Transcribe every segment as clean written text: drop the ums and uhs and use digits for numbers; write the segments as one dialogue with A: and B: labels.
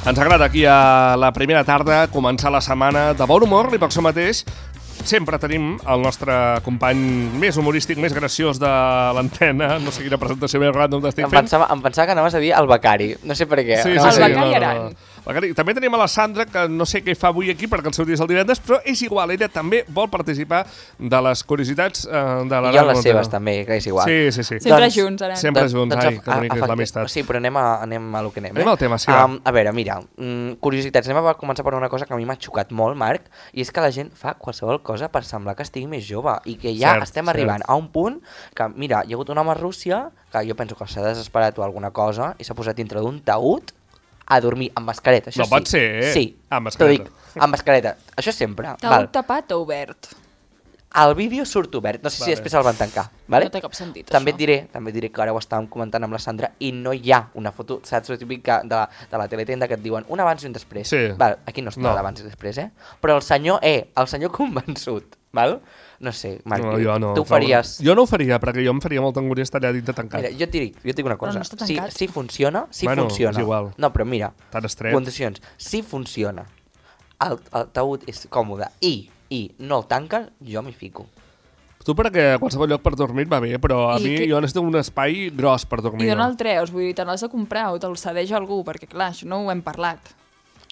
A: Ens agrada aquí a la primera tarda començar la setmana de bon humor i per això mateix sempre tenim el nostre company més humorístic, més graciós de l'antena. No sé quina presentació més random t'estic fent.
B: Em pensava que anaves a dir el becari. No sé per què.
A: Sí,
C: el becari Aran.
A: També tenim a la Sandra, que no sé què fa avui aquí perquè el seu dia és el divendres, però és igual, ella també vol participar de les curiositats de l'Aran.
B: I jo les seves també, que és igual.
A: Sí.
C: Sempre junts, Aran.
A: Sempre junts, ai, que bonic és l'amistat.
B: Sí, però anem a lo que anem.
A: Anem al tema, sí.
B: A veure, mira, curiositats. Anem a començar per una cosa que a mi m'ha xocat molt, Marc, i és que la gent fa qualsevol cosa per semblar que estigui més jove i que ja estem arribant a un punt que, mira, hi ha hagut un home a Rússia que jo penso que s'ha desesperat o alguna cosa i s'ha posat dintre d'un taüt a dormir amb mascareta. Això
A: no pot ser, eh?
B: Sí,
A: amb mascareta.
B: Amb mascareta. Això sempre.
C: Taüt tapat o obert?
B: El vídeo surt obert, no sé si després el van tancar. Vale?
C: No té cap sentit,
B: també
C: això.
B: També et diré que ara ho estàvem comentant amb la Sandra i no hi ha una foto, saps, típica de la teletenda que et diuen un abans i un després.
A: Sí.
B: Val, aquí no està l'abans i després, Però el senyor convençut, val? No sé, Marc, tu ho faries...
A: Jo no ho faria, perquè jo em faria molta angúnia estar allà dintre tancat.
B: Mira, jo et dic una cosa,
C: no està tancat.
B: si funciona,
A: És igual.
B: No, però mira,
A: tan estret.
B: condicions, si funciona, el taüt és còmode i no el tanques, jo m'hi fico.
A: Tu perquè a qualsevol lloc per dormir va bé, però a mi jo necessito un espai gros per dormir.
C: I d'on el treus? Vull dir, te l'has de comprar o te'l cedeix algú? Perquè clar, això no ho hem parlat.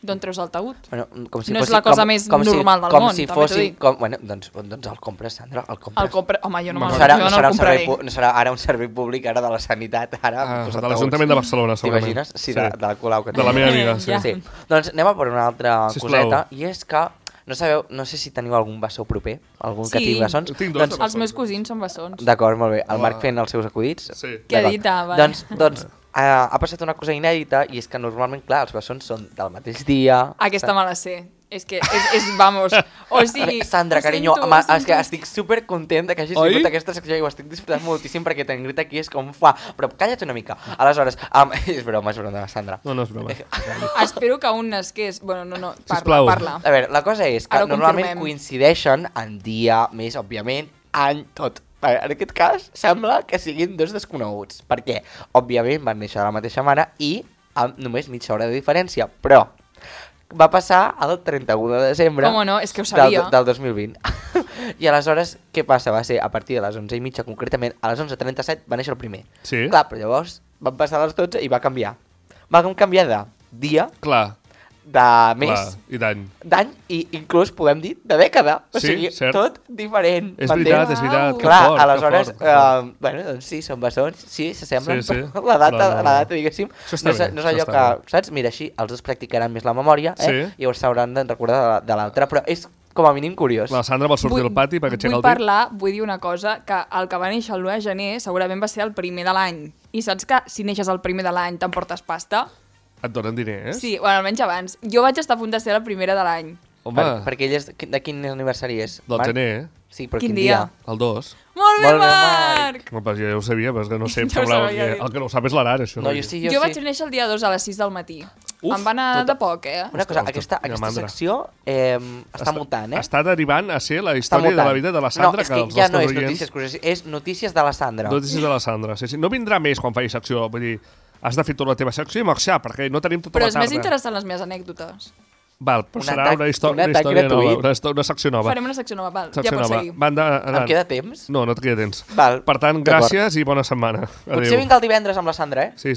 C: D'on treus el taüt?
B: Bueno, com si
C: no és la cosa més normal del món,
B: si
C: també t'ho dic.
B: Bueno, doncs el compres, Sandra, el compres.
C: Home, jo no el compraré.
B: No serà ara un servei públic, ara de la sanitat, ara...
A: de l'Ajuntament de Barcelona, segurament.
B: T'imagines? Sí, de la Colau que
A: de la meva amiga, sí.
B: Sí. Doncs anem a per una altra coseta, i és que no sé si teniu algun bessó proper, algun que tingui bessons.
A: Tinc dos.
C: Els meus cosins són bessons.
B: D'acord, molt bé. El Marc fent els seus acudits.
A: Sí.
C: Què ha dit? Vale.
B: Doncs ha passat una cosa inèdita i és que normalment, clar, els bessons són del mateix dia.
C: Aquesta me la sé. És que, vamos, o sigui...
B: Sandra, carinyo, és que estic supercontent que hagis vingut a aquesta secció i ho estic disfrutant moltíssim perquè te'n grita aquí és com fa. Però calla't una mica. Aleshores, és broma, Sandra.
A: No és broma.
C: Espero que un nasqués... Bueno, no, parla.
B: A veure, la cosa és que normalment coincideixen en dia, més, òbviament, any, tot. En aquest cas, sembla que siguin dos desconeguts, perquè, òbviament, van néixer de la mateixa mare i amb només mitja hora de diferència, però va passar el 31 de desembre
C: és que ho sabia.
B: Del 2020. I aleshores, què passa? Va ser a partir de les 11:30, concretament, a les 11:37 va néixer el primer.
A: Sí.
B: Clar, però llavors van passar les 12 i va canviar. Va canviar de dia...
A: Clar.
B: De mes,
A: i d'any
B: i inclús podem dir de dècada, o sigui, tot diferent.
A: És veritat.
B: Clar, aleshores, bueno, doncs sí, són bessons, sí, s'assemblen, però la data, diguéssim, no és allò que, saps? Mira, així els dos practicaran més la memòria, i llavors s'hauran de recordar de l'altre, però és com a mínim curiós.
A: La Sandra vol sortir al pati perquè aixeca el dit.
C: Vull dir una cosa, que el que va néixer el 1 de gener segurament va ser el primer de l'any, i saps que si neixes el primer de l'any t'emportes pasta?
A: Et donen diners?
C: Sí, bueno, almenys abans. Jo vaig estar a punt de ser la primera de l'any.
A: Home.
B: Perquè ell és de quin aniversari és?
A: Del gener.
B: Sí, però quin dia?
A: El 2.
C: Molt bé, Marc!
A: Jo ja ho sabia, però és que no sé, el que no ho sap és l'Aran, això.
C: Jo vaig néixer el dia 2 a les 6 del matí. Em va anar de poc,
B: Una cosa, aquesta secció està mutant,
A: Està derivant a ser la història de la vida de la Sandra.
B: No, és que ja no és notícies curioses, és notícies de la Sandra.
A: Notícies de la Sandra, sí. No vindrà més quan faci secció, vull dir... Has de fer tota la teva secció i marxar, perquè no tenim tota la tarda.
C: Però és més interessant les meves anècdotes.
A: Val, però serà una història nova, una secció nova.
C: Farem una secció nova, val, ja pots seguir.
B: Em queda temps?
A: No et queda temps.
B: Val.
A: Per tant, gràcies i bona setmana.
B: Potser vinc el divendres amb la Sandra,
A: Sí.